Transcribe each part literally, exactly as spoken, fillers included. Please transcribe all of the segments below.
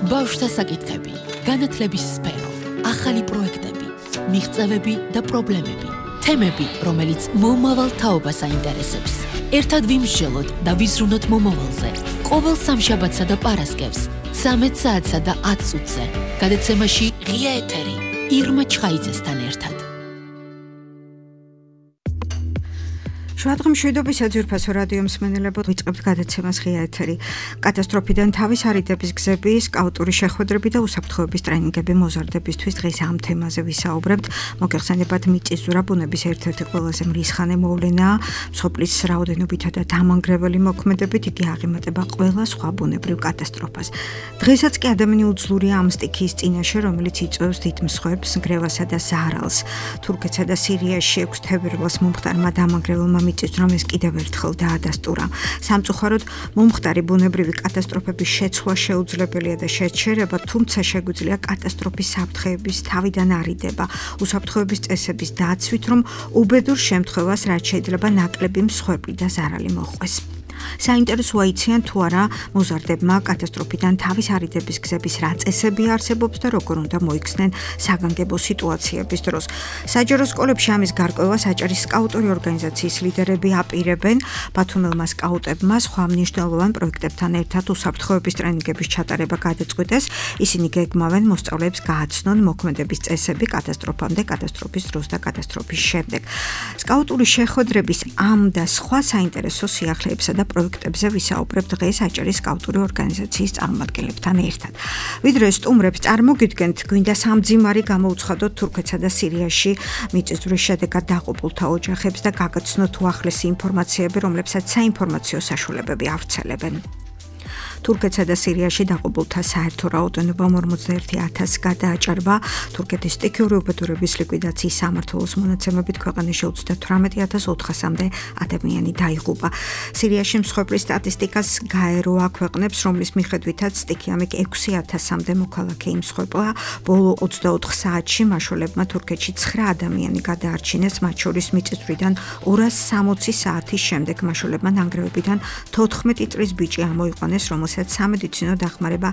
ბავშვთა საკითხები, განათლების სფერო, ახალი პროექტები, მიღწევები და პრობლემები, თემები, რომელიც მომავალ თაობას აინტერესებს. ერთად ვიმსჯელოთ და ვიზრუნოთ მომავალზე. ყოველ სამშაბათსა და პარასკევს, ცამეტ საათსა და ათ წუთზე. გადაცემაში ღია ეთერი, ირმა ჩხაიძესთან ერთად. შუადღე მშვიდობის საძირფასო რადიო მსმენელებო, ვიწყებთ გადაცემას ღია ეთერი. კატასტროფიდან თავის არიდების გზები, სკაუტური შეხვედრები და უსაფრთხოების ტრენინგები მოზარდებისთვის დღეს ამ თემაზე ვისაუბრებთ. მოგეხსენებათ, მიწისძვრა ბუნების ერთ-ერთი ყველაზე მრისხანე მოვლენაა. მსოფლის რაოდენობითა და დამანგრეველი მოქმედებით იგი აღემატება ყველა სხვა ბუნებრივ კატასტროფას. დღესაც კი ადამიანი უძლურია ამ სტიქიის წინაშე, რომელიც იწვევს დიდ მსხვერპლს, ნგრევასა და ზარალს. თურქეთსა და სირიაში ექვსი თებერვალს მომხდარმა დამანგრეველმა მიწისძვრამ ეს კიდევ ერთხელ დაადასტურა. სამწუხაროდ, მომხდარი ბუნებრივი კატასტროფების შეცვლა შეუძლებელია და შეჩერება, თუმცა შეგვიძლია კატასტროფის საფრთხეების თავიდან არიდება, უსაფრთხოების წესების დაცვით, რომ უბედურ შემთხვევას რაც შეიძლება ნაკლები მსხვერპლი და ზარალი მოჰყვეს. საინტერესოა იციან თუ არა მოზარდებმა კატასტროფიდან თავის არიდების გზების რა წესები არსებობს და როგორ უნდა მოიქცნენ საგანგებო სიტუაციების დროს. საჯარო სკოლებში ამის გარკვევას აჭარის სკაუტური ორგანიზაციის ლიდერები აპირებენ. ბათუმელმა სკაუტებმა სხვა მნიშვნელოვან პროექტებთან ერთად უსაფრთხოების ტრენინგების ჩატარება გადაწყვიტეს. ისინი გეგმავენ მოსწავლეებს გააცნონ მოქმედების წესები კატასტროფამდე, კატასტროფის დროს და კატასტროფის შემდეგ. სკაუტური შეხვედრების ამ და სხვა საინტერესო სიახლეებსა და პროექტებზე ვისაუბრებთ დღეს აჭარის სკაუტური ორგანიზაციის წარმომადგენლებთან ერთად. ვიდრე სტუმრებს წარმოგიდგენთ, გვინდა სამძიმარი გამოუცხადოთ თურქეთსა და სირიაში მიწისძვრის შედეგად დაყოფილთა ოჯახებს და გაგაცნოთ უახლესი ინფორმაციები, რომლებსაც საინფორმაციო საშუალებები ავრცელებენ. თურქეთსა და სირიაში დაყოფილთა საერთო რაოდენობა ორმოცდაერთი ათასს გადააჭარბა. თურქეთის სტიქიური უბედურების ლიკვიდაციის სამმართველოს მონაცემებით ქვეყანაში ოცდათვრამეტი ათას ოთხასამდე ადამიანი დაიღუპა. სირიაში მსხვერპლის სტატისტიკას გაერო აქვეყნებს, რომლის მიხედვითაც სტიქიამიკ ექვსი ათასამდე მოქალაქე იმსხვერპლა. ბოლო ოცდაოთხ საათში მაშველებმა თურქეთში ცხრა ადამიანი გადაარჩინეს, მათ შორის მიწისძვრიდან ორას სამოცი საათის შემდეგ მაშველებმა ნანგრევებიდან თოთხმეტი წლის ბიჭი ამოიყვანეს, რომელსაც სამედიცინო დახმარება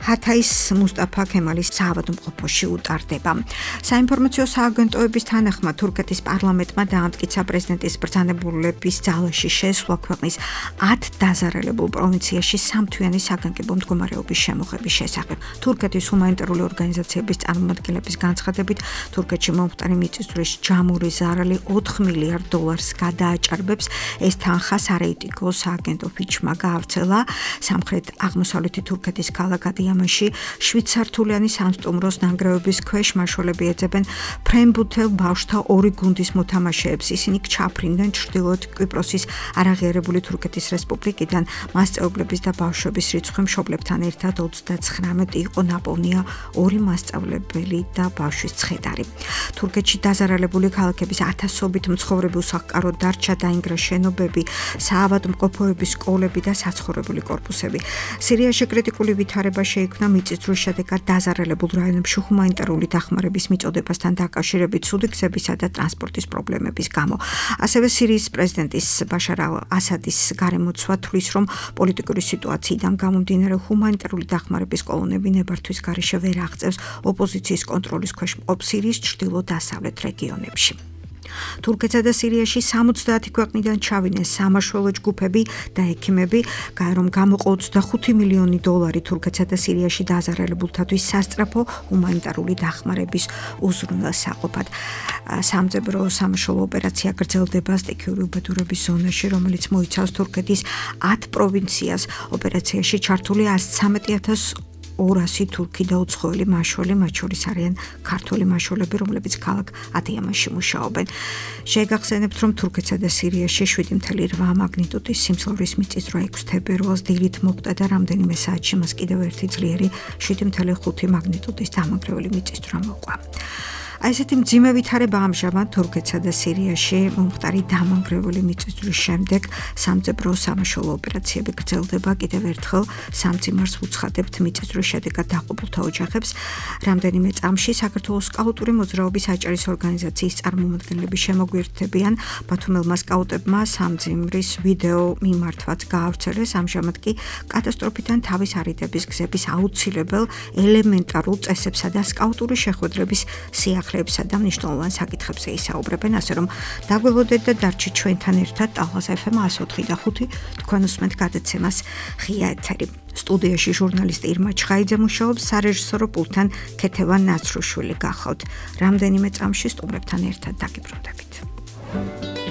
ჰათაის მუსტაფა ქემალის საავადმყოფოში utardeba. საინფორმაციო სააგენტოების თანახმად თურქეთის პარლამენტმა დაამტკიცა პრეზიდენტის ბრძანებულების ძალაში შესვლა ქვეყნის ათ დაზარალებულ პროვინციაში სამთვიანი საგანგებო მდგომარეობის შემოღების შესახებ. თურქეთის ჰუმანიტარული ორგანიზაციების წარმომადგენლების განცხადებით, თურქეთში მომხდარი მიწისძვრის ჯამური ზარალი ოთხ მილიარდ დოლარს გადააჭარბებს. ეს თანხა სარეიტიკო სააგენტო ფიჩმა გაავრცელა. სამხრეთ აღმოსავლეთი თურქეთის ქალაქ ამაში შვიდსართულიანი სამსტუმროს ნანგრევების ქვეშ მაშველები ეძებენ ფრენბუთელ ბავშვთა ორი გუნდის მოთამაშეებს. ისინი ჩაფრინდნენ ჩრდილოეთ კვიპროსის არაღიარებული თურქეთის რესპუბლიკიდან. მასწავლებლების და ბავშვების რიცხვი მშობლებთან ერთად ოცდაცხრამეტი იყო, ნაპოვნია ორი მასწავლებელი და ბავშვის ცხედარი. თურქეთში დაზარალებული ქალაქების ათასობით მცხოვრები უსახლკაროდ დარჩა, დაინგრა შენობები, საავადმყოფოების სკოლები და საცხოვრებელი კორპუსები. სირიაში კრიტიკული ვითარება შეიქმნა მიწისძვრის შედეგად დაზარალებულ რაიონებში ჰუმანიტარული დახმარების მიწოდებასთან დაკავშირებით ცუდი გზებისა და ტრანსპორტის პრობლემების გამო. ასევე სირიის პრეზიდენტის ბაშარ ალ-ასადის გარემოცვა თვლის, რომ პოლიტიკური სიტუაციიდან გამომდინარე ჰუმანიტარული დახმარების კოლონები ნებართვის გარეშე ვერ აღწევს ოპოზიციის კონტროლის ქვეშ მყოფ სირიის ჩრდილო-დასავლეთ რეგიონებში. თურქეთსა და სირიაში სამოცდაათი ქვეყნიდან ჩავიდნენ სამაშველო ჯგუფები და ექიმები, რომ გამოყო ოცდახუთი მილიონი დოლარი თურქეთსა და სირიაში დაზარალებულთათვის სასწრაფო ჰუმანიტარული დახმარების უზრუნველსაყოფად. სამძებრო სამაშველო ოპერაცია გრძელდება სტიქიური უბედურების ზონაში, რომელიც მოიცავს თურქეთის ათ პროვინციას. ოპერაციაში ჩართული ასი ცამეტი ათას ორასი თურქი და უცხოელი მაშველი, მათ შორის არიან ქართველი მაშველები, რომლებიც ქალაქ ადიამაში მუშაობენ. შეგახსენებთ, რომ თურქეთსა და სირიაში შვიდი ფاصლე რვა მაგნიტუდის სიმძლავრის მიწისძვრა ექვსი თებერვალს დილით მოხდა და რამდენიმე საათში მას კიდევ ერთი ძლიერი შვიდი ფاصლე ხუთი მაგნიტუდის დამანგრეველი მიწისძვრა მოყვა. აი ესეთი მძიმე ვითარება ამჟამად თურქეთსა და სირიაში მომხდარი დამანგრეველი მიწისძვრის შემდეგ სამძებრო სამაშველო ოპერაციები გრძელდება კიდევ ერთხელ სამძიმარს უცხადებთ მიწისძვრის შედეგად დაყოფილთა ოჯახებს. რამდენიმე წამში საქართველოს სკაუტური მოძრაობის აჭარის ორგანიზაციის წარმომადგენლები შემოგვიერთდებიან ბათუმელმა სკაუტებმა სამძიმრის ვიდეო მიმართვაც გაავრცელეს. ამჟამად კი კატასტროფიდან თავის არიდების გზების აუცილებელ ელემენტარულ წესებსა და სკაუტური შეხვედრების სიახლეებსა და მნიშვნელოვან საკითხებზე ისაუბრებენ, ასე რომ დაგველოდეთ და დარჩით ჩვენთან ერთად ტალღას ეფ ემ εκατო ოთხი და ხუთი თქვენ უსმენთ გადაცემას ღია ეთერი. სტუდიაში ჟურნალისტი ირმა ჩხაიძე მუშაობს, სარეჟისორო პულტთან ქეთევან ნაცრუშვილი გახავთ. რამდენიმე წამში სტუმრებთან ერთად დაგიბრუნდებით.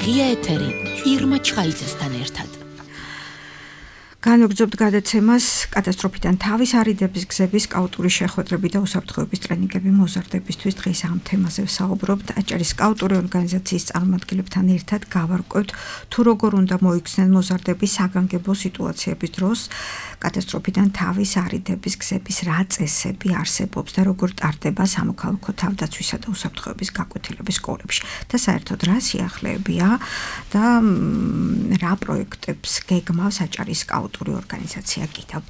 ღია ეთერი ირმა ჩხაიძესთან ერთად. განვაგრძობთ გადაცემას კატასტროფიდან თავის არიდების გზების სკაუტური შეხვედრები და უსაფრთხოების ტრენინგები მოზარდებისთვის. დღეს ამ თემაზე ვსაუბრობთ. აჭარის სკაუტური ორგანიზაციის წარმომადგენლებთან ერთად გავარკვევთ თუ როგორ უნდა მოიქცნენ მოზარდები საგანგებო სიტუაციების დროს, კატასტროფიდან თავის არიდების გზების რა წესები არსებობს და როგორ ტარდება სამოქალაქო თავდაცვისა და უსაფრთხოების გაკვეთილების სკოლებში და საერთოდ რა სიახლეებია და რა პროექტებს გეგმავს აჭარის სკაუტური ორგანიზაცია კიდევ.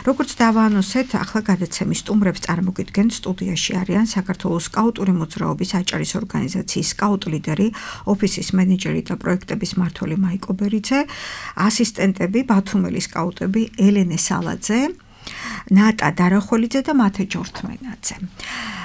როგორც დავაანონსეთ, ახლა გადაცემის სტუმრებს წარმოგიდგენთ. სტუდიაში არიან საქართველოს სკაუტური მოძრაობის აჭარის ორგანიზაციის სკაუტ ლიდერი, ოფისის მენეჯერი და პროექტების მმართველი მაიკო ბერიძე, ასისტენტები ბათუმელი სკაუტები ელენე სალაძე, ნატა დარახველიძე და მათე ჯორთმენაძე.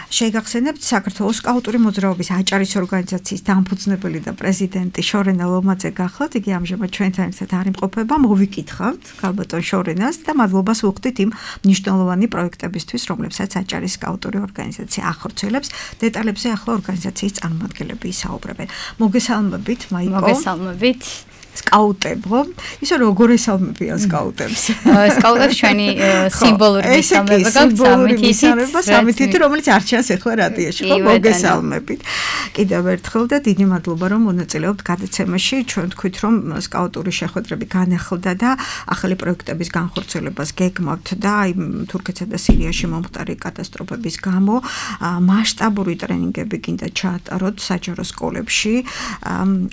შეგახსენებთ საქართველოს სკაუტური მოძრაობის აჭარის ორგანიზაციის დამფუძნებელი და პრეზიდენტი შორენა ლომაძე გახლავთ. იგი ამჟამად ჩვენთან ერთად არ იმყოფება. მოვიკითხავთ ქალბატონ შორენას და მადლობას ვუხდით იმ მნიშვნელოვანი პროექტებისთვის, რომლებსაც აჭარის სკაუტური ორგანიზაცია ახორციელებს. დეტალებზე ახლა ორგანიზაციის წარმომადგენლები ისაუბრებენ. მოგესალმებით, მაიკო. მოგესალმებით. სკაუტებო, ისე როგორ ესალმებიან სკაუტებს? სკაუტებს ჩვენი სიმბოლური მისამება გაქვთ სამი თითი, რომელიც არ ჩანს ახლა რადიოში, ხო, მოგესალმებით. კიდევ ერთხელ და დიდი მადლობა, რომ მონაწილეობთ გადაცემაში. ჩვენ თქვით, რომ სკაუტური შეხვედრები განახლდა და ახალი პროექტების განხორციელებას გეგმავთ და აი თურქეთსა და სირიაში მომხდარი კატასტროფების გამო მასშტაბური ტრენინგები კიდე ჩაატაროთ საჯარო სკოლებში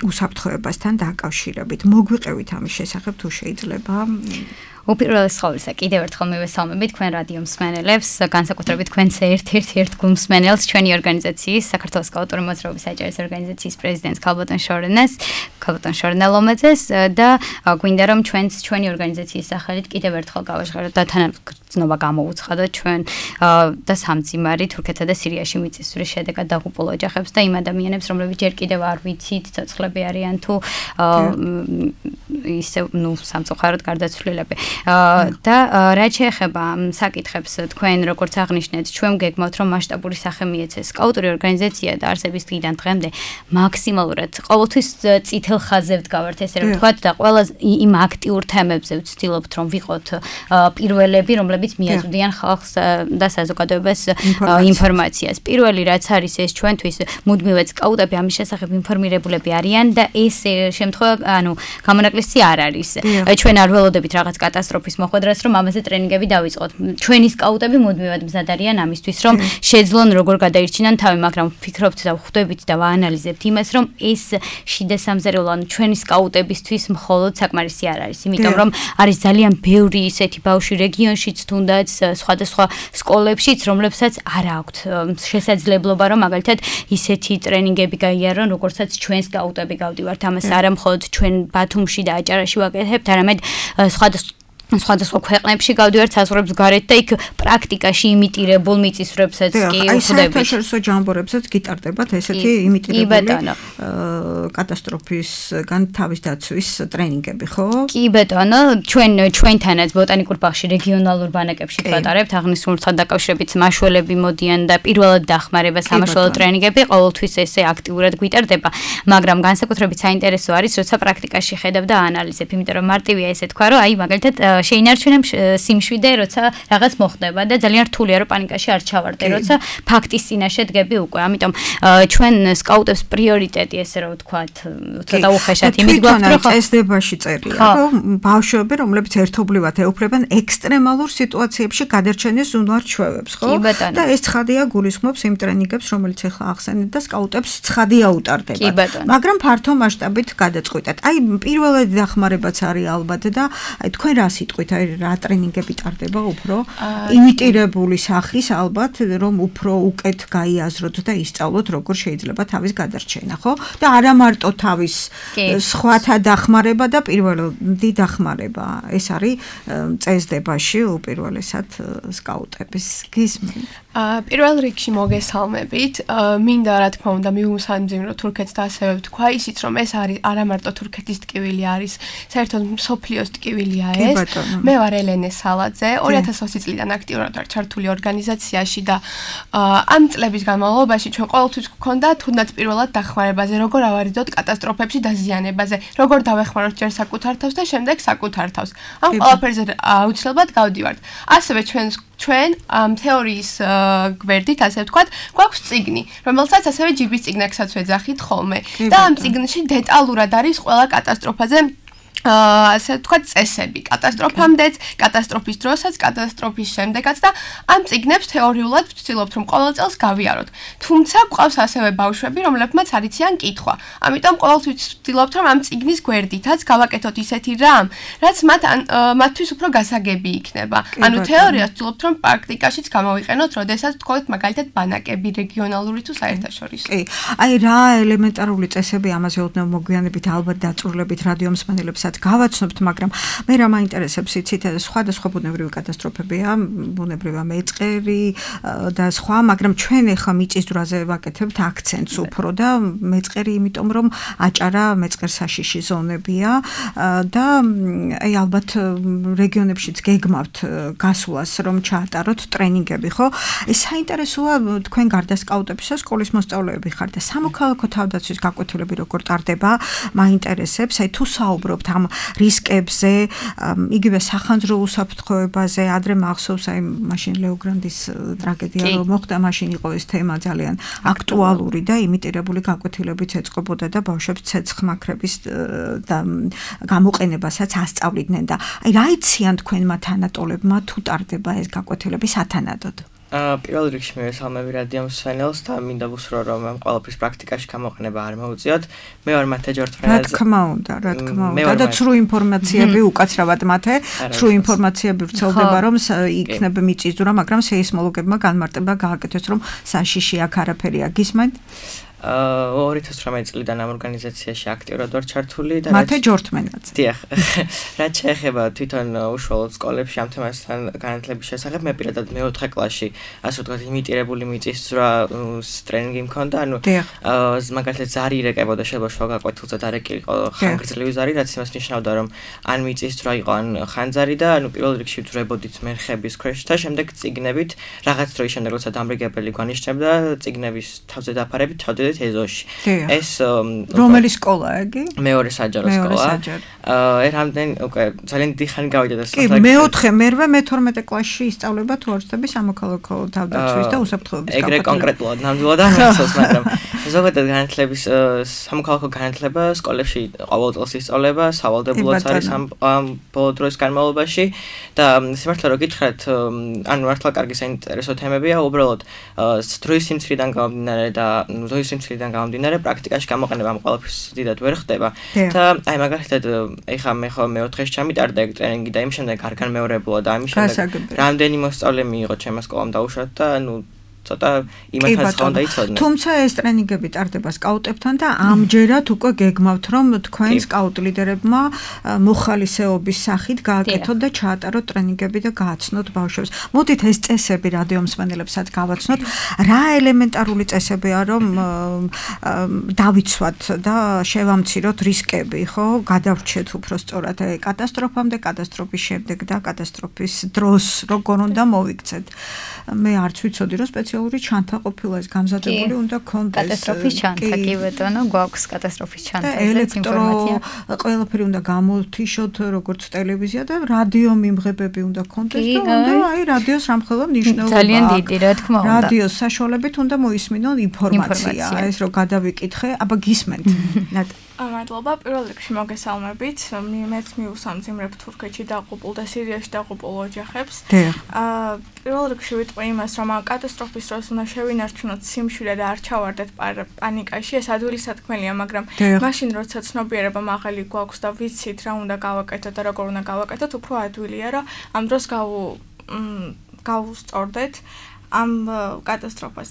უსაფრთხოებასთან დაკავშირებით. მოგვიყევით ამის შესახებ თუ შეიძლება? უპირველეს ყოვლისა, კიდევ ერთხელ მივესალმებით თქვენ რადიო მსმენელებს, განსაკუთრებით თქვენს ერთ-ერთ ერთგულ მსმენელს, ჩვენი ორგანიზაციის, საქართველოს სკაუტური მოძრაობის აჭარის ორგანიზაციის პრეზიდენტს ქალბატონ შორენას, ქალბატონ შორენა ლომაძეს და გვინდა რომ ჩვენს ჩვენი ორგანიზაციის სახელით კიდევ ერთხელ გავაჟღეროთ და თანაგრძნობა გამოუცხადოთ ჩვენ და სამძიმარი თურქეთსა და სირიაში მიწისძვრის შედეგად დაღუპულ ოჯახებს და იმ ადამიანებს, რომლებიც ჯერ კიდევ არ ვიცით, ცოცხლები არიან თუ ისე ნუ სამწუხაროდ გარდაცვლილები. და რაც შეეხება საკითხებს, თქვენ როგორც აღნიშნეთ, ჩვენ გეგმავთ, რომ მასშტაბური სახე მიეცეს სკაუტური ორგანიზაცია და არსების დღიდან დღემდე მაქსიმალურად ყოველთვის წითელ ხაზზე ვდგავართ, ესე რომ ვთქვათ და ყველა იმ აქტიურ თემებზე ვცდილობთ, რომ ვიყოთ პირველები, რომლებიც მიაწვდიან ხალხს და საზოგადოებას ინფორმაციას. პირველი რაც არის ეს ჩვენთვის მუდმივად სკაუტები ამის შესახებ ინფორმირებულები არიან და ეს შემთხვევა, ანუ გამონაკლისი არ არის. ჩვენ არ ველოდებით რაღაც კატასტროფის მოხვედრას, რომ ამაზე ტრენინგები დავიწყოთ. ჩვენი სკაუტები მუდმივად მზად არიან ამისთვის, რომ შეძლონ როგორ გადაირჩინან თავი, მაგრამ ვფიქრობთ და ვხვდებით და ვაანალიზებთ იმას, რომ ეს შიდა სამზარეულო, ანუ ჩვენი სკაუტებისთვის მხოლოდ საკმარისი არ არის, იმიტომ რომ არის ძალიან ბევრი ისეთი ბავშვი რეგიონშიც, თუნდაც სხვადასხვა სკოლებშიც, რომლებსაც არ აქვთ შესაძლებლობა, რომ მაგალითად ისეთი ტრენინგები გაიარონ, როგორცაც ჩვენ სკაუტები გავდივართ. ამას არა მხოლოდ ჩვენ ბათუმში და აჭარაში ვაკეთებთ, არამედ სხვადასხვა სხვადასხვა ქვეყნებში გავდივართ საზღვრებს გარეთ და იქ პრაქტიკაში იმიტირებულ მიწისძვრებსაც კი ვხვდებით. აი საერთაშორისო ჯამბორებსაც გიტარდებათ ესეთი იმიტირებული კატასტროფისგან თავის დაცვის ტრენინგები, ხო? კი ბეტონო, ჩვენ ჩვენთანაც ბოტანიკურ ბაღში რეგიონალურ ბანაკებში ვატარებთ, აღნიშნულთან დაკავშირებით მაშველები მოდიან და პირველად დახმარება სამაშველო ტრენინგები ყოველთვის ესე აქტიურად გვიტარდება, მაგრამ განსაკუთრებით საინტერესო არის, როცა პრაქტიკაში ხედავ და აანალიზებ, იმიტომ რომ მარტივია ესე თქვა, რომ აი მაგალითად შეინარჩუნე სიმშვიდე, როცა რაღაც მოხდება და ძალიან რთულია რომ პანიკაში არ ჩავარდე, როცა ფაქტის წინაშე დგები უკვე. ამიტომ ჩვენ სკაუტებს პრიორიტეტი ესე რომ ვთქვათ, ცოტა უხეშად იმით გვაქვს რომ წესდებაში წერია, რომ ბავშვები, რომლებიც ერთობლივად ეუფლებენ ექსტრემალურ სიტუაციებში გადარჩენის უნარ-ჩვევებს, ხო? და ეს ცხადია გულისხმობს იმ ტრენინგებს, რომელიც ახლა ახსენეთ და სკაუტებს ცხადი აუტარდება. მაგრამ ფართო მასშტაბით გადაწყვეტად. აი პირველადი დახმარებაც არის ალბათ და აი თქვენ რა სიტყვით, აი რა ტრენინგები ტარდება უფრო იმიტირებული სახის ალბათ, რომ უფრო უკეთ გაიაზროთ და ისწავლოთ როგორ შეიძლება თავის გადარჩენა, ხო? და არა მარტო თავის სხვათა დახმარება და პირველადი დახმარება. ეს არის წესდებაში უპირველესად სკაუტების გისმენთ. პირველ რიგში მოგესალმებით. მინდა რა თქმა უნდა მივუსამძიმრო თურქეთს და ასევე ვთქვა ისიც რომ ეს არის არა მარტო თურქეთის ტკივილი არის, საერთოდ მსოფლიოს ტკივილია ეს. მე ვარ ელენე სალაძე, ორი ათას ოცი წლიდან აქტიურად ვარ ჩართული ორგანიზაციაში და ამ წლების განმავლობაში ჩვენ ყოველთვის გვქონდა თუნდაც პირველად დახმარებაზე, როგორ ავარიდოთ კატასტროფებში და ზიანებაზე, როგორ დავეხმაროთ ჯერ საკუთარ თავს და შემდეგ საკუთარ თავს. ამ ყველაფერზე აუცილებლად გავდივართ. ასევე ჩვენ ჩვენ ამ თეორიის გვერდით, ასე ვთქვათ, გვაქვს წიგნი, რომელსაც ასევე ჯიბის წიგნაკსაც ვეძახით ხოლმე. და ამ წიგნში დეტალურად არის ყველა კატასტროფაზე ასე ვთქვათ წესები, კატასტროფამდეც, კატასტროფის დროსაც, კატასტროფის შემდეგაც და ამ წიგნებს თეორიულად ვცდილობთ რომ ყოველ წელს გავიაროთ. თუმცა გვყავს ასევე ბავშვები, რომლებმაც არ იციან კითხვა. ამიტომ ყოველთვის ვცდილობთ რომ ამ წიგნის გვერდითაც გავაკეთოთ ისეთი რამ, რაც მათ მათთვის უფრო გასაგები იქნება. ანუ თეორიას ვცდილობთ რომ პრაქტიკაშიც გამოვიყენოთ, როდესაც ვთქვათ მაგალითად ბანაკები რეგიონალური თუ საერთაშორისო. კი. აი რა ელემენტარული წესები ამაზე ოდნავ მოგვიანებით ალბათ დაწურლებით რადიო მსმენელებსაც გავაცნობთ, მაგრამ მე რა მაინტერესებს იცით, სხვადასხვა ბუნებრივი კატასტროფებია, ბუნებრივი მეწყერი და სხვა, მაგრამ ჩვენ ახლა მიწისძვრაზე ვაკეთებთ აქცენტს უფრო და მეწყერი იმიტომ რომ აჭარა მეწყერსაშიში ზონებია და აი ალბათ რეგიონებშიც გეგმავთ გასვლას რომ ჩაატაროთ ტრენინგები, ხო? ეს საინტერესოა თქვენ გარდა სკაუტებისა სკოლის მოსწავლეები ხართ და სამოქალაქო თავდაცვის გაკვეთილები როგორ ტარდება, მაინტერესებს, აი თუ საუბრობთ ამ რისკებზე, იგივე სახანძრო უსაფრთხოებაზე, ადრე მახსოვს აი მაშინ ლეოგრანდის ტრაგედია რომ მოხდა, მაშინ იყო ეს თემა ძალიან აქტუალური და იმიტირებული გაკვეთილებიც ეწყობოდა და ბავშვებს ცეცხლმაქრების და გამოყენებასაც ასწავლიდნენ და აი რა იციან თქვენმა თანატოლებმა თუ ტარდება ეს გაკვეთილები სათანადოდ? პირველ რიგში მე ვესალმები რადიო მსმენელს და მინდა ვუსრო რომ ამ ყველაფრის პრაქტიკაში გამოყენება არ მოუწიოთ. მე ვარ მათე ჯორთფრენაძე. რა თქმა უნდა, რა თქმა უნდა და ცრუ ინფორმაციები უკაცრავად მათე, ცრუ ინფორმაციები ვრცელდება რომ იქნება მიწისძვრა, მაგრამ სეისმოლოგებმა განმარტება გააკეთეს რომ საშიში აქ არაფერია. გისმენთ? ორი ათას ოცდაათი წლიდან ამ ორგანიზაციაში აქტიურად ვარ ჩართული და მათე ჯორთმენაც. დიახ. რაც შეეხება თვითონ უშუალოდ სკოლებში ამ თემასთან განათლების შესახებ, მე პირადად მეოთხე კლასში, ასე ვთქვათ, იმიტირებული მიწისძვრა ტრენინგი მქონდა, ანუ მაგალითად ზარი ირეკებოდა, შეიძლება შუა გაკვეთილზე დარეკილიყო ხანგრძლივი ზარი, რაც იმას ნიშნავდა, რომ ან მიწისძვრა იყო, ან ხანძარი და ანუ პირველ რიგში ვძვრებოდით მერხების ქვეშ და შემდეგ წიგნებით, რაღაც დროის შემდეგ როცა დამრიგებელი გვანიშნებდა, წიგნების თავზე დაფარებით ჩავდივდით ეზოში. ეს რომელი სკოლაა იგი? მეორე საჯარო სკოლა. აა რამდენ უკვე ძალიან დიხანი გავიდა და კი, მეოთხე, მერვე, მეთორმეტე კლასში ისწავლება თუ არ ვცდები სამოქალაქო თავდაცვის და უსაფრთხოების გაკვეთილება. ეგრე კონკრეტულად ნამდვილად არ მახსოვს, მაგრამ ზოგადად განათლების სამოქალაქო განათლება სკოლებში ყოველ წელს ისწავლება, სავალდებულოც არის ამ ბოლო დროის განმავლობაში და სიმართლე რომ გითხრათ, ანუ მართლა კარგი საინტერესო თემებია, უბრალოდ დროის სიმცირიდან გამომდინარე და დროის სიმცირიდან გამომდინარე პრაქტიკაში გამოყენება ამ ყველაფრის დიდად ვერ ხდება და აი მაგალითად ეხლა მე ხო მეოთხეში ჩამიტარდა ეგ ტრენინგი და იმ შემდეგ არ განმეორებულა და ამის შემდეგ რამდენი მოსწავლე მიიღო ჩემმა სკოლამ დაუშვათ და ანუ ცოტა იმათაც ხონდა იცოდნენ. თუმცა ეს ტრენინგები ტარდება სკაუტებთან და ამჯერად უკვე გეგმავთ რომ თქვენ სკაუტ ლიდერებმა მოხალისეობის სახით გააკეთოთ და ჩაატაროთ ტრენინგები და გააცნოთ ბავშვებს. მოდით ეს წესები რადიო მსმენელებსაც გავაცნოთ. რა ელემენტარული წესებია რომ დავიცვათ და შევამციროთ რისკები, ხო? გადავრჩეთ უფრო სწორად კატასტროფამდე, კატასტროფის შემდეგ და კატასტროფის დროს როგორ უნდა მოვიქცეთ. მე არც ვიცოდი რომ სპეციალური ჩანთა ყოფილა ეს გამზადებული უნდა კონდეს კატასტროფის ჩანთა კი ბატონო გვაქვს კატასტროფის ჩანთაზე ინფორმაცია ყველაფერი უნდა გამოთიშოთ როგორც ტელევიზია და რადიო მიმღებები უნდა კონდეს და უნდა აი რადიოს რამხელა მნიშვნელობა ძალიან დიდი რა თქმა უნდა რადიოს საშუალებით უნდა მოისმინონ ინფორმაცია ეს რო გადავიკითხე აბა გისმენთ მადლობა პირველ რიგში მოგესალმებით მეც მივუსამძიმრებ თურქეთში დაყუპულ და სირიაში დაყუპულ ოჯახებს აა პირველ რიგში ვიტყვი იმას რომ კატასტროფის დროს უნდა შევინარჩუნოთ სიმშვიდე და არ ჩავარდეთ პანიკაში ეს ადვილი სათქმელია მაგრამ მაშინ როცა ცნობიერება მაღალი გვაქვს და ვიცით რა უნდა გავაკეთოთ და როგორ უნდა გავაკეთოთ უფრო ადვილია რომ ამ დროს გავუსწორდეთ ამ კატასტროფას.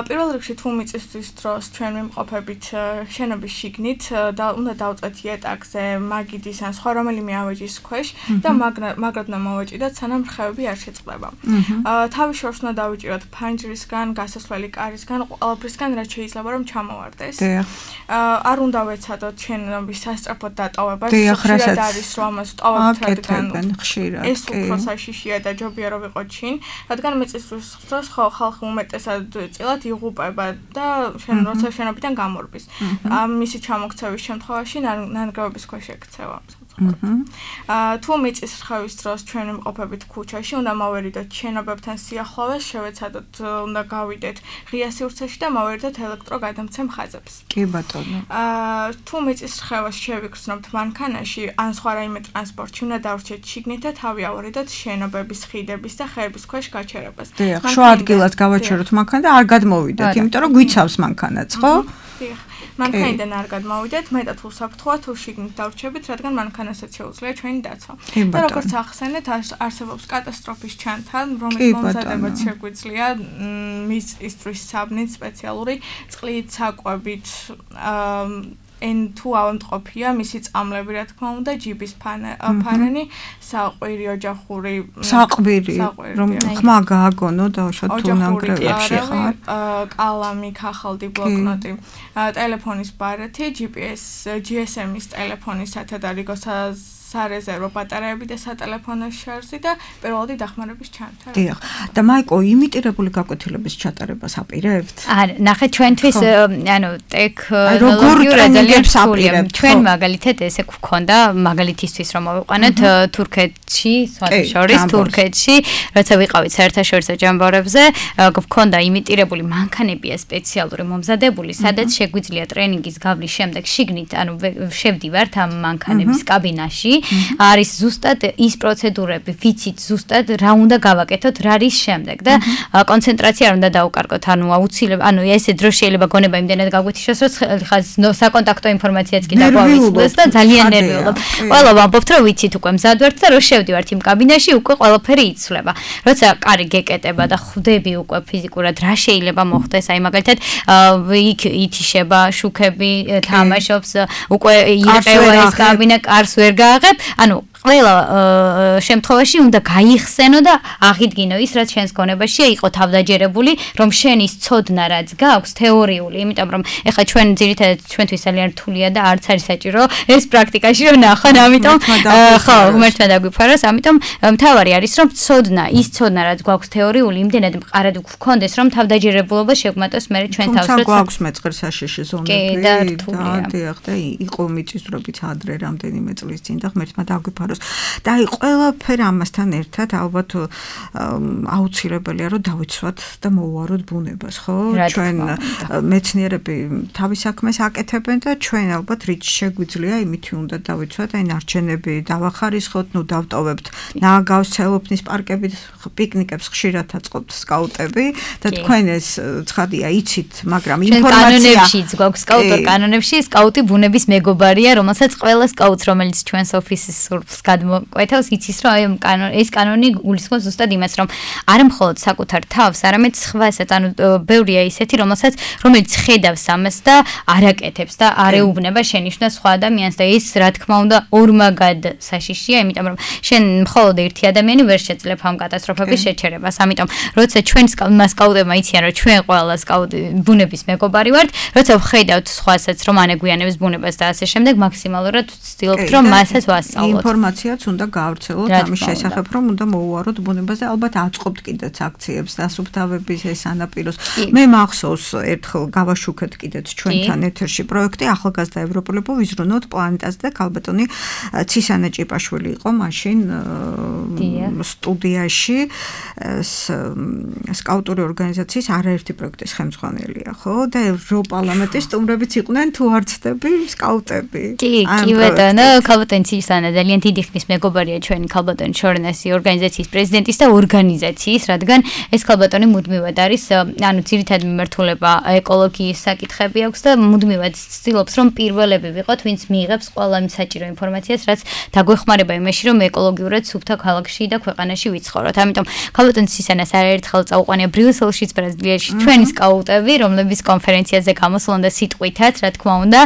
პირველ რიგში თუ მიწისთვის დროს ჩვენ მიმყოფებით შენობის შიგნით და უნდა დავწვეთ იატაკზე მაგიდის ან სხვა რომელიმე ავეჯის ქვეშ და მაგრად უნდა მოვეჭიდოთ სანამ რხევები არ შეწყდება. თავის შორს უნდა დავიჭიროთ ფანჯრისგან, გასასვლელი კარისგან, ყველაფრისგან რაც შეიძლება რომ ჩამოვარდეს. არ უნდა ვეცადოთ შენობის სასწრაფოდ დატოვებას. ხშირად არის რომ ამას ტოვებთ რადგან ეს უფრო საშიშია და ჯობია რომ ვიყოთ შინ, რადგან მიწისთვის დროს ხალხი უმეტესად წილად იღუპება და შენ როცა შენობიდან გამორბის. მისი ჩამოქცევის შემთხვევაში ნანგრევების ქვეშ ექცევა. აა თუ მიწის რხევის დროს ჩვენ ვიმყოფებით ქუჩაში, უნდა მოვერიდოთ შენობებთან სიახლოვეს, შევეცადოთ, უნდა გავიდეთ ღია სივრცეში და მოვერიდოთ ელექტროგადამცემ ხაზებს. კი ბატონო. აა თუ მიწის რხევას შევიგრძნობთ მანქანაში, ან სხვა რაიმე ტრანსპორტში, უნდა დავრჩეთ შიგნით და თავი ავარიდოთ შენობების, ხიდების და ხეების ქვეშ გაჩერებას. შუა ადგილად გავაჩეროთ მანქანა და არ გადმოვიდეთ, იმიტომ რომ გვიცავს მანქანაც, ხო? დიახ. მანქანიდან არ გადმოვიდეთ, მეტად უსაფრთხოა თუ შიგნით დავრჩებით, რადგან მანქანასაც შეუძლია ჩვენი დაცვა. და როგორც ახსენეთ, არსებობს კატასტროფის ჩანთა, რომლის მომზადებაც შეგვიძლია მის ისტრის საბნით სპეციალური წყლით, საკვებით, ან თუ ავადმყოფია მისი წამლები რა თქმა უნდა ჯიბის ფარენი საყვირი ოჯახური საყვირი რომ ხმა გააგონო დავშოთ თუ ნანგრევებში ხარ კალამი ქახალდი ბლოკნოტი ტელეფონის ბარათი ჯი პი ეს ჯი ეს ემის ტელეფონის სათადარიგო სარეზერვო ბატარეები და სატელეფონო შარჟი და პირველადი დახმარების ჩანთა. დიახ. და მაიკო იმიტირებული გაკვეთილების ჩატარებას აპირებთ? არა, ნახეთ ჩვენთვის ანუ ტექნოლოგიურ ძალიან რთულია. ჩვენ მაგალითად ესე გვქონდა მაგალითისთვის რომ მოვიყვანოთ თურქეთში, სხვადასხვა თურქეთში, როცა ვიყავით საერთაშორისო ჯამბარებზე, გვქონდა იმიტირებული მანქანებია სპეციალური მომზადებული, სადაც შეგვიძლია ტრენინგის გავლის შემდეგ შიგნით, ანუ შევდივართ ამ მანქანების კაბინაში. არის ზუსტად ის პროცედურები, ვიცით ზუსტად რა უნდა გავაკეთოთ, რა არის შემდეგ და კონცენტრაცია არ უნდა დაუკარგოთ, ანუ აუცილებლად, ანუ ესე დრო შეიძლება გონება იმდენად გაგვეთიშოს, რომ ხა საკონტაქტო ინფორმაციაც კი დაგვავიწყდეს და ძალიან ნერვიულობ. ყველა ვამბობთ, რომ ვიცით უკვე მზად ვართ და რო შევდივართ იმ კაბინაში, უკვე ყველაფერი იცვლება. როცა კარი გეკეტება და ხვდები უკვე ფიზიკურად რა შეიძლება მოხდეს, აი მაგალითად იქ ითიშება, შუქები თამაშობს, უკვე ირყევა ეს კაბინა, კარს ვერ გააღებ, ანუ ყველა შემთხვევაში უნდა გაიხსენო და აღიდგინო ის, რაც შენს გონებაშია, იყო თავდაჯერებული, რომ შენის ცოდნა რაც გაქვს თეორიული, იმიტომ რომ ეხლა ჩვენ ძირითადად ჩვენთვის ძალიან რთულია და არც არის საჭირო ეს პრაქტიკაში რომ ნახან, ამიტომ ხო, ღმერთმა დაგვიფაროს, ამიტომ მთავარი არის რომ ცოდნა, ის ცოდნა რაც გვაქვს თეორიული, იმდენად მყარად გვქონდეს, რომ თავდაჯერებულობა შეგვმატოს მე ჩვენ თავს, როცა გვაქვს მეწყერსაშიში ზონები და დიახ და იყო მიწისძვრებიც ადრე რამდენიმე წლის წინ და ღმერთმა დაგვიფაროს და აი ყველაფერ ამასთან ერთად ალბათ აუცილებელია რომ დავიცვათ და მოვუაროთ ბუნებას, ხო? ჩვენ მეცნიერები თავის საქმეს აკეთებენ და ჩვენ ალბათ რით შეგვიძლია იმითი უნდა დავიცვათ, აი ნარჩენები დავახარისხოთ, ნუ დავტოვებთ ნააგავს ცელოფნის პარკებით, პიკნიკებს ხშირად აწყობთ სკაუტები და თქვენ ეს ცხადია იცით, მაგრამ ინფორმაცია კანონებშიც გვაქვს სკაუტურ კანონებში სკაუტი ბუნების მეგობარია, რომელსაც ყველა სკაუტს რომელიც ჩვენს ოფისის სურს გადმოკვეთავს, იცის რომ ეს კანონი გულისხმობს ზუსტად იმას, რომ არ მხოლოდ საკუთარ თავს, არამედ სხვასაც, ანუ ბევრია ისეთი, რომელსაც რომელიც ხედავს ამას და არაკეთებს და არეუბნება შენიშვნა სხვა ადამიანს და ის რა თქმა უნდა ორმაგად საშიშია, იმიტომ რომ შენ მხოლოდ ერთი ადამიანი ვერ შეძლებ ამ კატასტროფების შეჩერებას. ამიტომ როცა ჩვენ სკაუტებმა იციან, რომ ჩვენ ყველა სკაუტი ბუნების მეგობარი ვართ, როცა ვხედავთ სხვასაც, რომ ანეგვიანებს ბუნებას და ასე შემდეგ, მაქსიმალურად ვცდილობთ, რომ მასაც ვასწავლოთ. ინფორმაციაც უნდა გავრცელოთ ამის შესახებ, რომ უნდა მოუვაროთ ბუნებას და ალბათ აწყობთ კიდეც აქციებს დასუფთავების ეს ანაპიროს. მე მახსოვს ერთხელ გავაშუქეთ კიდეც ჩვენთან ეთერში პროექტი ახალგაზრდა ევროპელებო ვიზრუნოთ პლანეტაზე და ქალბატონი ცისანა ჭიპაშვილი იყო მაშინ სტუდიაში სკაუტური ორგანიზაციის არაერთი პროექტის ხელმძღვანელია, ხო? და ევროპარლამენტის სტუმრებიც იყვნენ თუ არ ცდები სკაუტები. კი, კი ბატონო, ქალბატონი ცისანა ძალიან დიდი ხნის მეგობარია ჩვენი ქალბატონი შორენასი ორგანიზაციის პრეზიდენტის და ორგანიზაციის, რადგან ეს ქალბატონი მუდმივად არის, ანუ ძირითადად მიმართულება ეკოლოგიის საკითხები აქვს და მუდმივად ცდილობს რომ პირველები ვიყოთ, ვინც მიიღებს ყველა იმ საჭირო ინფორმაციას, რაც დაგვეხმარება იმაში, რომ ეკოლოგიურად სუფთა ქალაქში და ქვეყანაში ვიცხოვროთ. ამიტომ ქალბატონი ცისანას არაერთხელ წაუყვანია ბრიუსელშიც, ბრაზილიაში ჩვენი სკაუტები, რომლებიც კონფერენციაზე გამოსულან და სიტყვითაც, რა თქმა უნდა,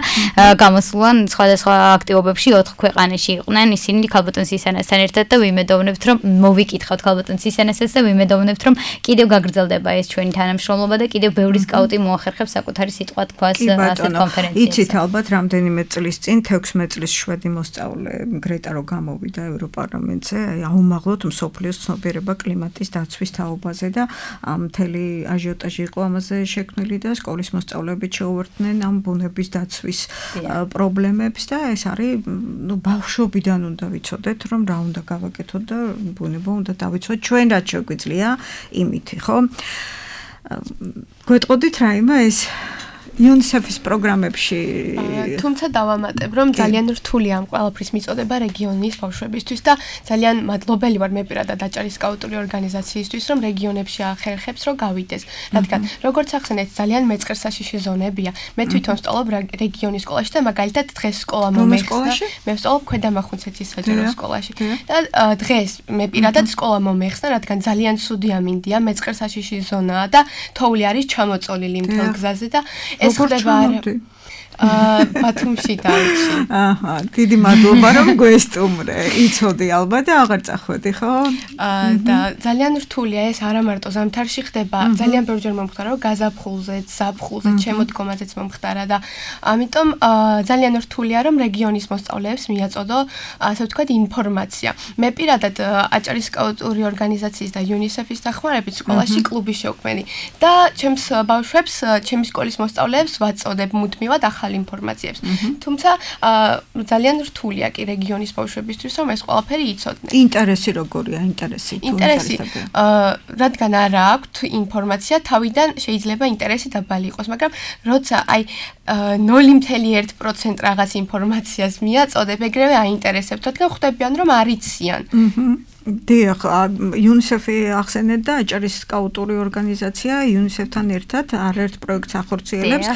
გამოსულან სხვადასხვა აქტივობებში ოთხ ქვეყანაში იყვნენ. ისინი ქალბატონ ცისანასთან ერთად და ვიმედოვნებთ, რომ მოვიკითხავთ ქალბატონ ცისანასაც და ვიმედოვნებთ, რომ კიდევ გაგრძელდება ეს ჩვენი თანამშრომლობა და კიდევ ბევრი სკაუტი მოახერხებს საკუთარი სიტყვა თქვას ასეთ კონფერენციაზე. იცით ალბათ რამდენიმე წლის წინ თექვსმეტ წლის შვედი მოსწავლე გრეტა რო გამოვიდა ევროპარლამენტზე, აუმაღლოთ მსოფლიოს ცნობიერება კლიმატის დაცვის თაობაზე და მთელი აჟიოტაჟი იყო ამაზე შექმნილი და სკოლის მოსწავლეები შეუერთდნენ ამ ბუნების დაცვის პრობლემებს და ეს არის ნუ ბავშვობიდან უნდა ვიცოდეთ რომ რა უნდა გავაკეთოთ და ბუნება უნდა დავიცვათ ჩვენ რაც შეგვიძლია იმითი, ხო? გვეტყოდით რაიმე ეს იუნისეფის პროგრამებში თუმცა დავამატებ რომ ძალიან რთულია ამ ყველაფრის მიწოდება რეგიონის ბავშვებისთვის და ძალიან მადლობელი ვარ მე პირადად აჭარის სკაუტური ორგანიზაციისთვის რომ რეგიონებში ახერხებს რომ გავიდეს რადგან როგორც ახსენეთ ძალიან მეწყერსაშიში ზონებია მე თვითონ ვსწავლობ რეგიონის სკოლაში და მაგალითად დღეს სკოლა მომეხსნა მე ვსწავლობ ქვედამახუნცეთის საჯარო სკოლაში და დღეს მე პირადად სკოლა მომეხსნა რადგან ძალიან ცუდი ამინდია მეწყერსაშიში ზონაა და თოვლი არის ჩამოწოლილი მთელ გზაზე და ეს ხდება აა ბათუმში დავიჩი. აჰა, დიდი მადლობა რომ გვესტუმრე. იცოდი ალბათ და აღარ წახვედი, ხო? აა და ძალიან რთულია ეს არა მარტო ზამთარში ხდება, ძალიან ბევრჯერ მომხდარა რომ გაზაფხულზე, ზაფხულზე, შემოდგომაზეც მომხდარა და ამიტომ ძალიან რთულია რომ რეგიონის მოსწავლეებს მიაწოდო ასე ვთქვათ ინფორმაცია. მე პირადად აჭარის სკაუტური ორგანიზაციის და იუნისეფის დახმარებით სკოლაში კლუბი შევქმნი და ჩემს ბავშვებს, ჩემი სკოლის მოსწავლეებს ვაწოდებ მუდმივად ახალ ინფორმაციებს. თუმცა ძალიან რთულია კი რეგიონის ბავშვებისთვის რომ ეს ყველაფერი იცოდნენ. ინტერესი როგორია, ინტერესი თუ ინტერესი რადგან არა აქვთ ინფორმაცია, თავიდან შეიძლება ინტერესი დაბალი იყოს, მაგრამ როცა აი ნული წუთი ერთი პროცენტი რაღაც ინფორმაციას მიაწოდებ, ეგრევე აინტერესებთ, რადგან ხვდებიან რომ არ იციან. დიახ, იუნისეფი ახსენეთ და აჭარის სკაუტური ორგანიზაცია იუნისეფთან ერთად არაერთ პროექტს ახორციელებს.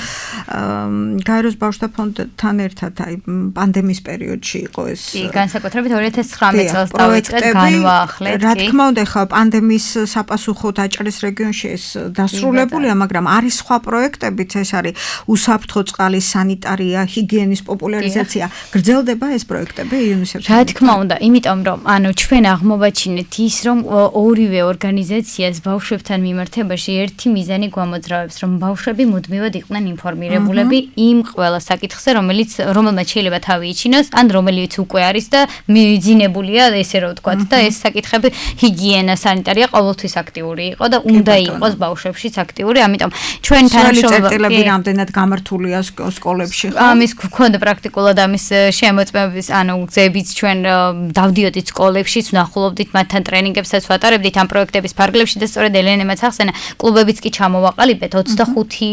გაეროს ბავშვთა ფონდთან ერთად აი პანდემიის პერიოდში იყო ეს. კი, განსაკუთრებით ორი ათას ცხრამეტ წელს დავიწყეთ განვაახლეთ. რა თქმა უნდა, ხა პანდემიის საპასუხოდ აჭარის რეგიონში ეს დასრულებულია, მაგრამ არის სხვა პროექტებიც, ეს არის უსაფრთხო წყალის სანიტარია, ჰიგიენის პოპულარიზაცია. გრძელდება ეს პროექტები იუნისეფთან? რა თქმა უნდა, იმიტომ რომ ანუ ჩვენ აღმოვაჩინეთ ის რომ ორივე ორგანიზაციას ბავშვებთან მიმართებაში ერთი მიზანი გვამოძრავებს რომ ბავშვები მუდმივად იყვნენ ინფორმირებულები იმ ყველა საკითხზე რომელიც რომელმაც შეიძლება თავი იჩინოს ან რომელიც უკვე არის და მიძინებულია ესე რომ ვთქვათ და ეს საკითხები ჰიგიენა სანიტარია ყოველთვის აქტიური იყო და უნდა იყოს ბავშვებშიც აქტიური ამიტომ ჩვენ თანამშრომლები რამდენად გამართულია სკოლებში ხო ამის გქონდა პრაქტიკულად ამის შემოწმების ანუ გზებიც ჩვენ დავდიოდით სკოლებში ვნახულობდით მათთან ტრენინგებსაც ვატარებდით ამ პროექტების ფარგლებში და სწორედ ელენემაც ახსენა კლუბებიც კი ჩამოვაყალიბეთ ოცდახუთი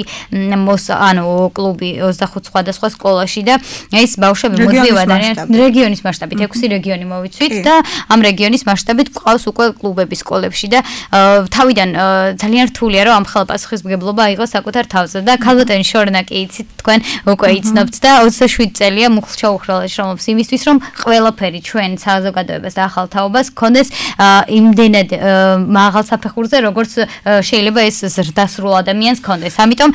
ანუ კლუბი ოცდახუთ სხვადასხვა სკოლაში და ეს ბავშვები მოდივად არიან რეგიონის მასშტაბით ექვსი რეგიონი მოვიცვით და ამ რეგიონის მასშტაბით გვყავს უკვე კლუბები სკოლებში და თავიდან ძალიან რთულია რომ ამ ხელპასუხისმგებლობა აიღოს საკუთარ თავზე და ქალბატონი შორნა კი იცით თქვენ უკვე იცნობთ და ოცდაშვიდი წელია მუხლ-ჩაუხრალაში რომობს იმისთვის რომ ყველაფერი ჩვენ საზოგადოებას და ახალ თაობას გქონდეს იმდენად მაღალ საფეხურზე, როგორც შეიძლება ეს ზრდასრულ ადამიანს გქონდეს. ამიტომ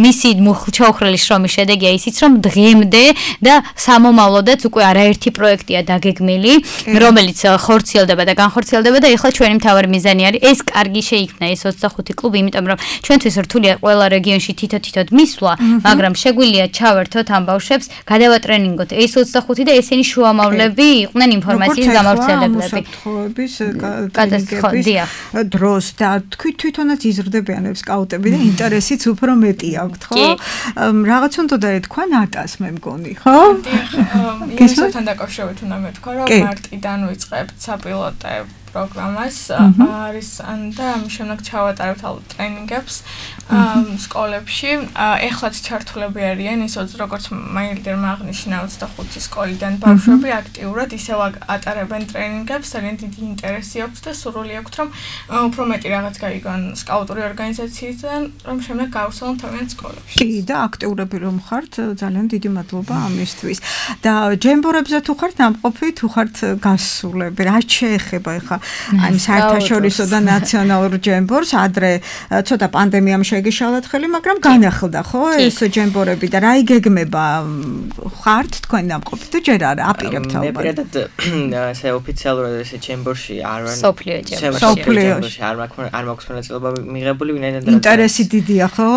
მისი ჩაუხრელი შრომის შედეგია ისიც, რომ დღემდე და სამომავლოდაც უკვე არაერთი პროექტია დაგეგმილი, რომელიც ხორციელდება და განხორციელდება და ეხლა ჩვენი მთავარი მიზანი არის ეს კარგი შეიქმნა ეს ოცდახუთი კლუბი, იმიტომ რომ ჩვენთვის რთულია ყველა რეგიონში თითო-თითოდ მისვლა, მაგრამ შეგვიძლია ჩავერთოთ ამ ბავშვებს, გადავატრენინგოთ ეს ოცდახუთი და ესენი შუამავლები იყვნენ ინფორმაციის გამავრცელებლები. უსაფრთხოების კატასტროფები დროს და თქვი თვითონაც იზრდებიან სკაუტები და ინტერესიც უფრო მეტი აქვთ, ხო? რაღაც უნდა დაეთქვა ნატას მე მგონი, ხო? იესთან დაკავშირებით უნდა მეთქვა, რომ მარტიდან ვიწყებთ საპილოტე პროგრამას არის და ამის შემდეგ ჩავატარებთ ალბათ ტრენინგებს სკოლებში. ეხლაც ჩართულები არიან ის როგორც მაილდერმა აღნიშნა ოცდახუთი სკოლიდან ბავშვები აქტიურად ისევ ატარებენ ტრენინგებს, ძალიან დიდი ინტერესი აქვს და სურვილი აქვს რომ უფრო მეტი რაღაც გაიგონ სკაუტური ორგანიზაციიდან, რომ შემდეგ გავუსწავლონ თავიანთ სკოლებში. კი და აქტიურები რომ ხართ, ძალიან დიდი მადლობა ამისთვის. და ჯემბორებზე თუ ხართ ნამყოფი, თუ ხართ გასულები, რა შეეხება ეხლა ამ საერთაშორისო და ნაციონალურ ჯემბორს, ადრე ცოტა პანდემიამ შეგიშალათ ხელი, მაგრამ განახლდა ხო ეს ჯემბორები და რა იგეგმება ხართ თქვენ ნამყოფი თუ ჯერ არა აპირებთ ალბათ. მე პირადად ესე ოფიციალურად ესე ჯემბორში არ ვარ. სოფლიო ჯემბორში არ მაქვს არ მაქვს მონაწილეობა მიღებული, ვინაიდან ინტერესი დიდია ხო?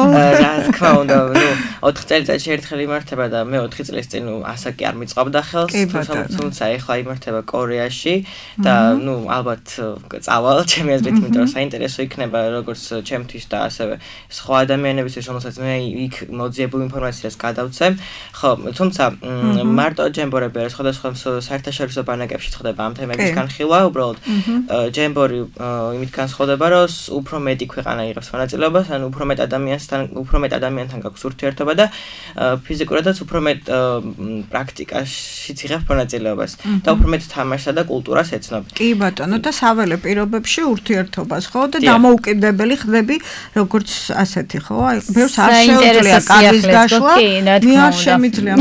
რა თქმა უნდა, ნუ ოთხ წელიწადში ერთხელ იმართება და მე ოთხი წლის წინ ნუ ასაკი არ მიწყობდა ხელს, თუმცა ეხლა იმართება კორეაში და ნუ ალბათ წავალ ჩემი აზრით, იმიტომ რომ საინტერესო იქნება როგორც ჩემთვის და ასევე სხვა ადამიანებისთვის, რომელსაც მე იქ მოძიებულ ინფორმაციას გადავცემ. ხო, თუმცა მარტო ჯემბორები არის, სხვადასხვა საერთაშორისო ბანაკებში ხდება ამ თემების განხილვა, უბრალოდ ჯემბორი იმით განსხვავდება, რომ უფრო მეტი ქვეყანა იღებს მონაწილეობას, ან უფრო მეტ ადამიანთან, უფრო მეტ ადამიანთან გაქვს ურთიერთობა და ფიზიკურადაც უფრო მეტ პრაქტიკაშიც იღებს მონაწილეობას და უფრო მეტ თამაშსა და კულტურას ეცნობ. კი ბატონო, და საველე პირობებში ურთიერთობას, ხო? და დამოუკიდებელი ხდები, როგორც ასეთი, ხო? აი, ბევრს არ შეუძლია კარგის გაშლა. მე არ შემიძლია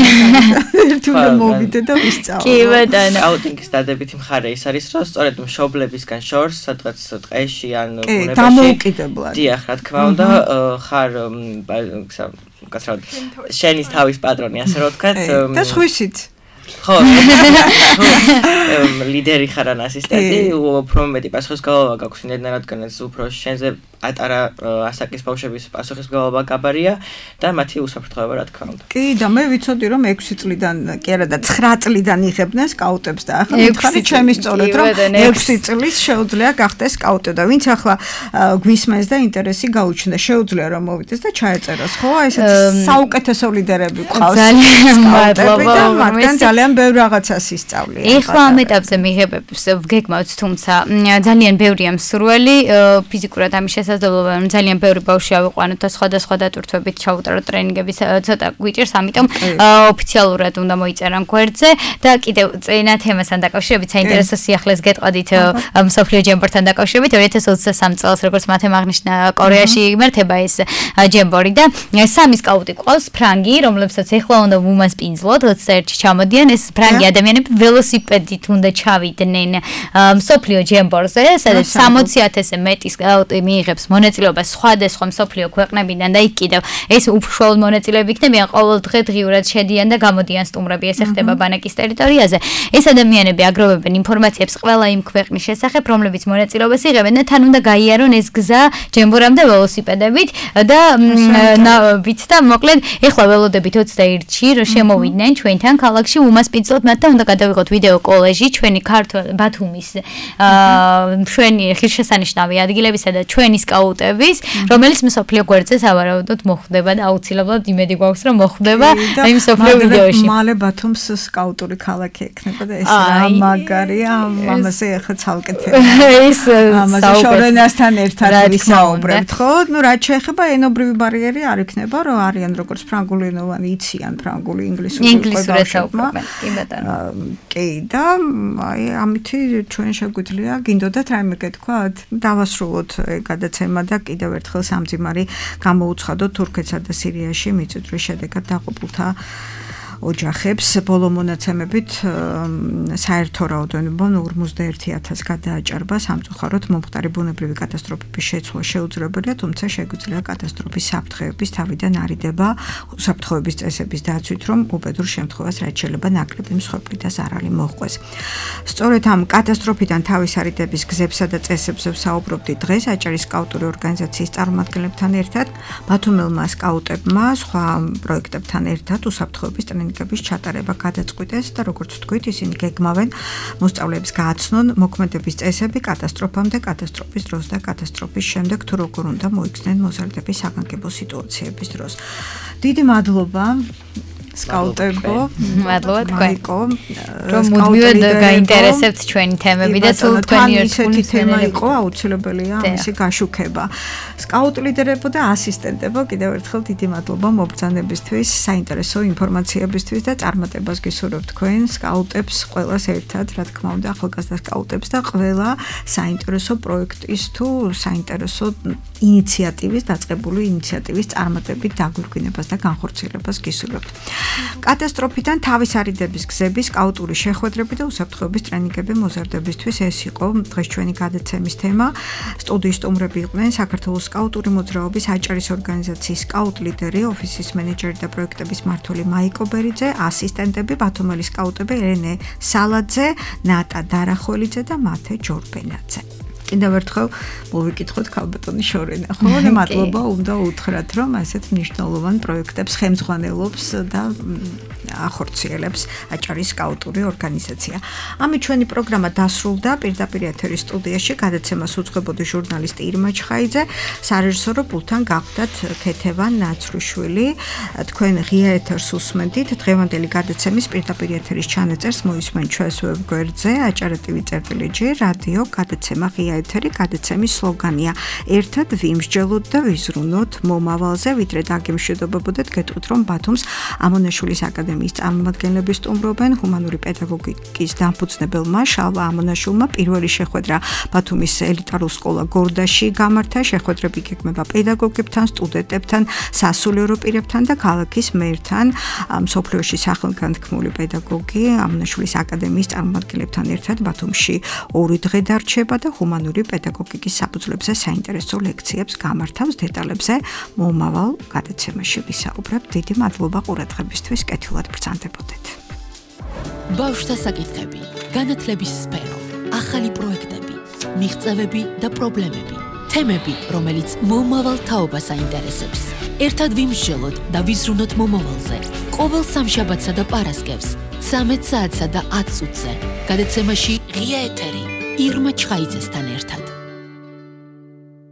ერთ უნდა მოვიდე და ვისწავლო. კი ბატონო. აუტინგის დადებითი მხარე ის არის, რომ სწორედ მშობლებისგან შორს, სადღაც ტყეში ან ბუნებაში დამოუკიდებლად. დიახ, რა თქმა უნდა, ხარ კაცრავად შენის თავის პატრონი, ასე რომ ვთქვათ. და სხვისით ხო, ლიდერი ხარ ან ასისტენტი, უფრო მეტი პასუხისმგებლობა გაქვს, რადგან ეს უფრო შენზე ატარა ასაკის ბავშვების პასუხისმგებლობა გაბარია და მათი უსაფრთხოება რა თქმა უნდა. კი და მე ვიცოდი რომ ექვსი წლიდან, კი არა და ცხრა წლიდან იღებდნენ სკაუტებს და ახლა მითხარი ჩემი სწორედ რომ ექვსი წლის შეუძლია გახდეს სკაუტი და ვინც ახლა გვისმენს და ინტერესი გაუჩნდა, შეუძლია რომ მოვიდეს და ჩაეწეროს, ხო? აი ესეც საუკეთესო ლიდერები ყავს. ძალიან მადლობა. მათგან ძალიან ბევრ რაღაცას ისწავლია. ეხლა ამ ეტაპზე მიღებებს ვგეგმავთ, თუმცა ძალიან ბევრია მსურველი ფიზიკურად ამის შესაძლებლობა, რომ ძალიან ბევრი ბავშვი ავიყვანოთ და სხვადასხვა დატვირთვებით ჩაუტაროთ ტრენინგების ცოტა გვიჭირს, ამიტომ ოფიციალურად უნდა მოიწერან გვერდზე და კიდევ წინა თემასთან დაკავშირებით საინტერესო სიახლეს გეტყოდით მსოფლიო ჯემბორთან დაკავშირებით ორი ათას ოცდასამი წელს როგორც მათემ აღნიშნა კორეაში იმართება ეს ჯემბორი და სამი სკაუტი ყავს ფრანგი, რომლებსაც ეხლა უნდა უმასპინძლოთ ოცდაერთში ჩამოდიან ეს ფრანგი ადამიანები ველოსიპედით უნდა ჩავიდნენ მსოფლიო ჯემბორზე, სადაც სამოცი ათასზე მეტი სკაუტი მიიღებს მონაწილეობას სხვადასხვა მსოფლიო ქვეყნებიდან და იქ კიდევ ეს უშუალოდ მონაწილეები იქნებიან ყოველ დღე დღიურად შედიან და გამოდიან სტუმრები, ეს ხდება ბანაკის ტერიტორიაზე. ეს ადამიანები აგროვებენ ინფორმაციებს ყველა იმ ქვეყნის შესახებ, რომლებიც მონაწილეობას იღებენ და თან უნდა გაიარონ ეს გზა ჯემბორამდე ველოსიპედებით და ნავით და მოკლედ ეხლა ველოდებით ოცდაერთში რომ შემოვიდნენ ჩვენთან ქალაქში უმასპინძლოთ მათ და უნდა გადავიღოთ ვიდეო კოლეჟი ჩვენი ქართულ ბათუმის ჩვენი ღირსშესანიშნავი ადგილებისა და ჩვენი სკაუტების, რომელიც მსოფლიო გვერდზე სავარაუდოდ მოხვდება და აუცილებლად იმედი გვაქვს რომ მოხვდება იმ მსოფლიო ვიდეოში. მალე ბათუმს სკაუტური ქალაქი ექნება და ეს რა მაგარია, ამაზე ახლა ცალკეთია. ეს ამაზე შორენასთან ერთად ვისაუბრებთ, ხო? ნუ რაც შეეხება ენობრივი ბარიერი არ იქნება, რომ არიან როგორც ფრანგულენოვანი იციან ფრანგული, ინგლისური ინგლისურად საუბრობენ. კი ბატონო. კი და აი ამითი ჩვენ შეგვიძლია გინდოდათ რაიმე გეთქვათ? დავასრულოთ გადაცემა და კიდევ ერთხელ სამძიმარი გამოუცხადოთ თურქეთსა და სირიაში მიწისძვრის შედეგად დაყოფილთა ოჯახებს. ბოლო მონაცემებით საერთო რაოდენობა ორმოცდაერთი ათასი გადააჭარბა. სამწუხაროდ მომხდარი ბუნებრივი კატასტროფების შეცვლა შეუძლებელია, თუმცა შეგვიძლია კატასტროფის საფრთხეების თავიდან არიდება უსაფრთხოების წესების დაცვით, რომ უბედურ შემთხვევას რაც შეიძლება ნაკლები მსხვერპლი და ზარალი მოჰყვეს. სწორედ ამ კატასტროფიდან თავის არიდების გზებსა და წესებზე ვსაუბრობდი დღეს აჭარის სკაუტური ორგანიზაციის წარმომადგენლებთან ერთად. ბათუმელმა სკაუტებმა სხვა პროექტებთან ერთად უსაფრთხოების ტრენინგების ჩატარება გადაწყვიტეს და როგორც ვთქვით, ისინი გეგმავენ მოსწავლეებს გააცნონ მოქმედების წესები კატასტროფამდე, კატასტროფის დროს და კატასტროფის შემდეგ თუ როგორ უნდა მოიქცნენ მოზარდების საგანგებო სიტუაციების დროს. დიდი მადლობა სკაუტებო, მადლობა თქვენ. რომ მუდმივად გაინტერესებთ ჩვენი თემები და სულ თქვენი ერთგული თემა იყო, აუცილებელია ამისი გაშუქება. სკაუტ ლიდერებო და ასისტენტებო, კიდევ ერთხელ დიდი მადლობა მობრძანებისთვის, საინტერესო ინფორმაციებისთვის და წარმატებას გისურვებთ თქვენ სკაუტებს ყველას ერთად, რა თქმა უნდა, ახალგაზრდა სკაუტებს და ყველა საინტერესო პროექტის თუ საინტერესო ინიციატივის, დაწყებული ინიციატივის წარმატებით დაგვირგვინებას და განხორციელებას გისურვებთ. კატასტროფიდან თავის არიდების გზები, სკაუტური შეხვედრები და უსაფრთხოების ტრენინგები მოზარდებისთვის ეს იყო დღეს ჩვენი გადაცემის თემა. სტუდიის სტუმრები იყვნენ საქართველოს სკაუტური მოძრაობის აჭარის ორგანიზაციის სკაუტ ლიდერი, ოფისის მენეჯერი და პროექტების მმართველი მაიკო ბერიძე, ასისტენტები ბათუმელი სკაუტები ერენე სალაძე, ნატა დარახველიძე და მათე ჯორბენაძე. კიდევ ერთხელ მოვიკითხოთ ქალბატონი შორენა, ხო? მადლობა უნდა უთხრათ, რომ ასეთ მნიშვნელოვან პროექტებს ხელმძღვანელობს და ახორციელებს აჭარის სკაუტური ორგანიზაცია. ამით ჩვენი პროგრამა დასრულდა. პირდაპირ ეთერის სტუდიაში გადაცემას უძღვებოდი ჟურნალისტი ირმა ჩხაიძე, სარეჟისორო პულტთან გახდათ ქეთევან ნაცრუშვილი. თქვენ ღია ეთერს უსმენთ. დღევანდელი გადაცემის პირდაპირ ეთერის ჩანაწერს მოისმენთ ჩვენს ვებ გვერდზე აჭარა ტივი წერტილი ჯი რადიო გადაცემა ღია ეთერი. გადაცემის სლოგანია ერთად ვიმსჯელოთ და ვიზრუნოთ მომავალზე. ვიდრე დაგემშვიდობებოდეთ, გეტყვით, რომ ბათუმს ამონაშვილის აკადემიის წარმომადგენლები სტუმრობენ. ჰუმანური პედაგოგიკის დამფუძნებელმა შალვა ამონაშვილმა პირველი შეხვედრა ბათუმის ელიტარულ სკოლა გორდაში გამართა. შეხვედრები გეგმება პედაგოგებთან, სტუდენტებთან, სასულიერო პირებთან და ქალაქის მერთან. მსოფლიოში სახელგანთქმული პედაგოგი ამონაშვილის აკადემიის წარმომადგენლებთან ერთად ბათუმში ორი დღე დარჩება და ჰუმანური პედაგოგიკის საფუძვლებზე საინტერესო ლექციებს გამართავს. დეტალებზე მომავალ გადაცემაში ვისაუბრებთ. დიდი მადლობა ყურადღებისთვის. კეთილად ბრძანდებოდეთ. ბავშვთა საკითხები, განათლების სფერო, ახალი პროექტები, მიღწევები და პრობლემები, თემები, რომელიც მომავალ თაობას აინტერესებს. ერთად ვიმსჯელოთ და ვიზრუნოთ მომავალზე. ყოველ სამშაბათსა და პარასკევს, ცამეტ საათსა და ათ წუთზე. გადაცემაში ღია ეთერი ირმა ჩხაიძესთან ერთად.